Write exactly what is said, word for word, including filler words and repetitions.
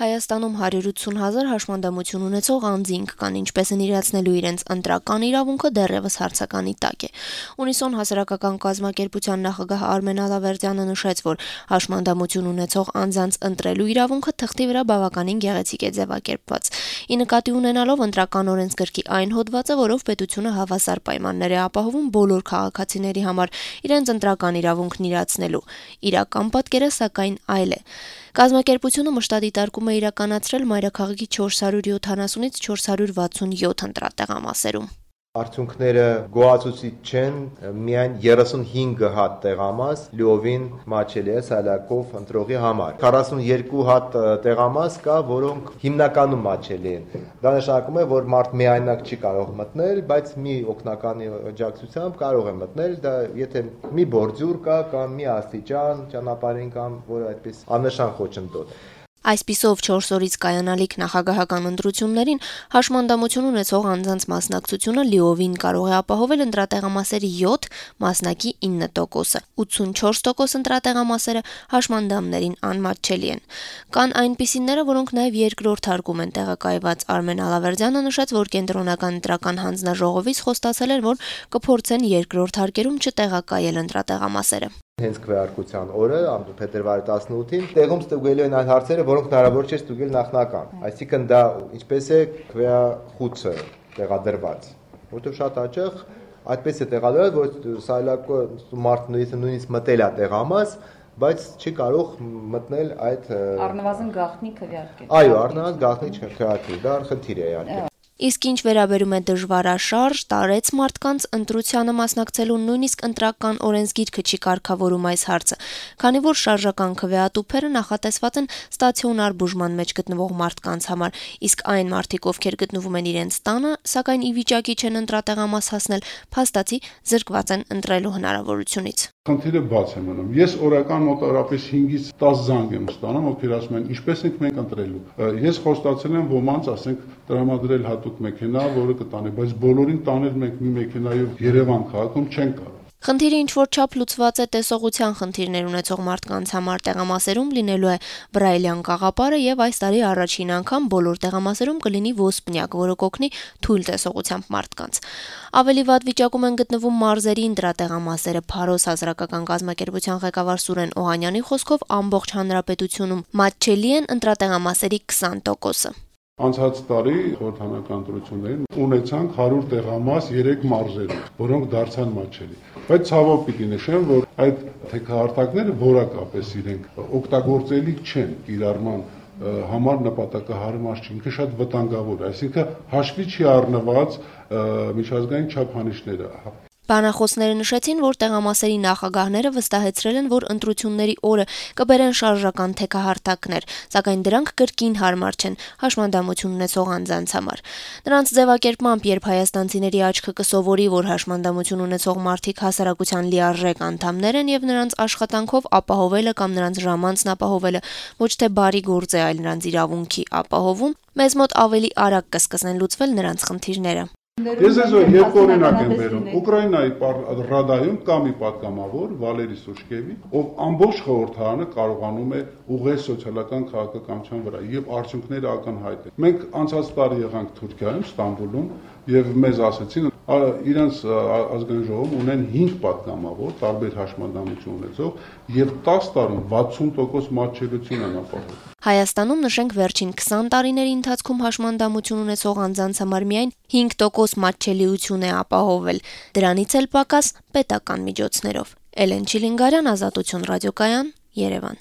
Հայաստանում հարյուր ութսուն հազար հաշմանդամություն ունեցող անձինք կան, ինչպես են իրացնելու իրենց ընտրական իրավունքը դեռևս հարցականի տակ է։ Ունիսոն հասարակական կազմակերպության նախագահ Արմեն Ալավերդյանը նշեց, որ հաշմանդամություն ունեցող անձանց ընտրելու իրավունքը թղթի վրա բավականին գեղեցիկ է ձևակերպված։ Ի նկատի ունենալով ընտրական օրենսգրքի այն հոդվածը, որով պետությունը հավասար պայմաններ է ապահովում բոլոր քաղաքացիների համար իրենց ընտրական իրավունքն իրացնելու։ Իրական պատկերը սակայն այլ է։ Կազմակերպությունը մշտադիտարկում է իրականացրել մայրաքաղաքի չորս հարյուր յոթանասունից չորս հարյուր վաթսունյոթ ընտրատեղամասերում։ Արդյունքները գոհացուցիչ չեն, միայն երեսունհինգ հատ տեղամաս լիովին մատչելի է սալակով ընտրողի համար։ քառասունյոթ հատ տեղամաս կա, որոնք հիմնականում մատչելի են։ Դա նշանակում է, որ մարդ միայնակ չի կարող մտնել, բայց մի օգնականի աջակցությամբ կարող է մտնել, դա եթե մի բորձյուր կա կամ մի աստիճան ճանապարհին կամ որ այդպես աննշան խոչընդոտ։ Այսպիսով չորս օրից կայանալիք նախագահական ընտրություններին հաշմանդամություն ունեցող անձանց մասնակցությունը լիովին կարող է ապահովել ընտրատեղամասերի յոթ, մասնակի ինը տոկոսը, ութսունչորս տոկոս ընտրատեղամասերը հաշմանդամներին անմատչելի են։ Կան այնպիսիները, որոնք նաև երկրորդ հարկում են տեղակայված։ Արմեն Ալավերդյանը նշեց, որ կենտրոնական ընտրական հանձնաժողովից խոստացել են, որ կփորձեն երկրորդ հարկերում չտեղակայել ընտրատեղամասերը։ Հենց քվեարկության օրը, փետրվարի տասնութին, տեղում ստուգելու են այն հարցերը, որոնք հնարավոր չէ ստուգել նախնական։ Այսինքն դա ինչպես է քվեախուցը տեղադրված, որովհետև շատ հաճախ այդպես է տեղադրված, որ սայլակը մարդը նույնիսկ մտել է տեղամաս, բայց չի կարող մտնել այդ առնվազն գաղտնի քվեարկել։ Այո, առնվազն գաղտնի քվեարկել, դա խնդիր է իհարկե։ Իսկ ինչ վերաբերում է դժվարաշարժ, տարեց մարդկանց ընտրությանը մասնակցելու նույնիսկ ընտրական օրենսգիրքը չի կարգավորում այս հարցը, քանի որ շարժական քվեատուփերը նախատեսված են ստացիոնար բուժման մեջ գտնվող մարդկանց համար, իսկ այն մարդիկ, ովքեր գտնվում են իրենց տանը, սակայն ի վիճակի չեն ընտրատեղամաս հասնել, փաստացի զրկված են ընտրելու հնարավորությունից։ Խնդիրը բաց է մնում։ Ես օրական մոտավորապես հինգից տասը զանգ եմ ստանում, ովքեր ասում են, ինչպես ենք մենք ընտրելու։ Ես խոստացել եմ ոմանց, ասենք, տրամադրել հատուկ մեքենա, որը կտանի, բայց բոլորին տանել մենք մի մեքենայով Երևան քաղաքում չեն կարող։ Խնդիրը ինչ որ չափ լուծված է տեսողության խնդիրներ ունեցող մարդկանց համար տեղամասերում լինելու է բրայլյան կաղապարը եւ այս տարի առաջին անգամ բոլոր տեղամասերում կլինի ոսպնյակ, որը կօգնի թույլ տեսողությամբ մարդկանց։ Ավելի վատ վիճակում են գտնվում մարզերի ընտրատեղամասերը։ Փարոս հասարակական կազմակերպության ղեկավար Սուրեն Օհանյանի խոսքով ամբողջ հանրապետությունում մատչելի են ընտրատեղամասերի քսան տոկոսը։ Անցած տարի խորհրդանական ընտրություններին ունեցանք հարյուր տեղամաս երեք մարզերում, որոնք դարձան մատչելի։ Բայց ցավոք պիտի նշեմ, որ այդ թեքահարտակները որակապես իրենք օգտագործելի չեն կիրառման համար նպատակահարմար չի, ինքը շատ վտանգավոր է, այսինքն հաշվի չի առնված միջազգային չափանիշները։ Բանախոսները նշեցին, որ տեղամասերի նախագահները վստահեցրել են, որ ընտրությունների օրը կբերեն շարժական թեքահարտակներ, սակայն դրանք կրկին հարմար չեն հաշմանդամություն ունեցող անձանց համար։ Նրանց ձևակերպմամբ, երբ հայաստանցիների աչքը կսովորի, որ հաշմանդամություն ունեցող մարդիկ հասարակության լիարժեք անդամներ են եւ նրանց աշխատանքով ապահովելը կամ նրանց ժամանցն ապահովելը ոչ թե բարի գործ է, այլ նրանց իրավունքի ապահովում, մեզ մոտ ավելի արագ կսկսեն լուծվել նրանց խնդիրները։ Ես ես երբ օրինակ եմ բերում Ուկրաինայի ռադայում կա մի պատգամավոր Վալերի Սուշկևի, ով ամբողջ խորհրդարանը կարողանում է ուղղել սոցիալական քաղաքականության վրա եւ արդյունքները ակնհայտ են։ Մենք անցած տարի եղանք Թուրքիայում, Ստամբուլում եւ մեզ ասեցին իրենց ազգային ժողովում ունեն հինգ պատգամավոր, տարբեր հաշմանդամություն ունեցող եւ տասը տարում վաթսուն տոկոս մատչելիություն են ապահովում։ Հայաստանում նշենք վերջին քսան տարիների ընթացքում հաշմանդամություն ունեցող անձանց համար միայն հինգ տոկոս մատչելիություն է ապահովել, դրանից էլ պակաս պետական միջոցներով։ Էլեն Չիլինգարյան, Ազատություն ռադիոկայան, Երևան։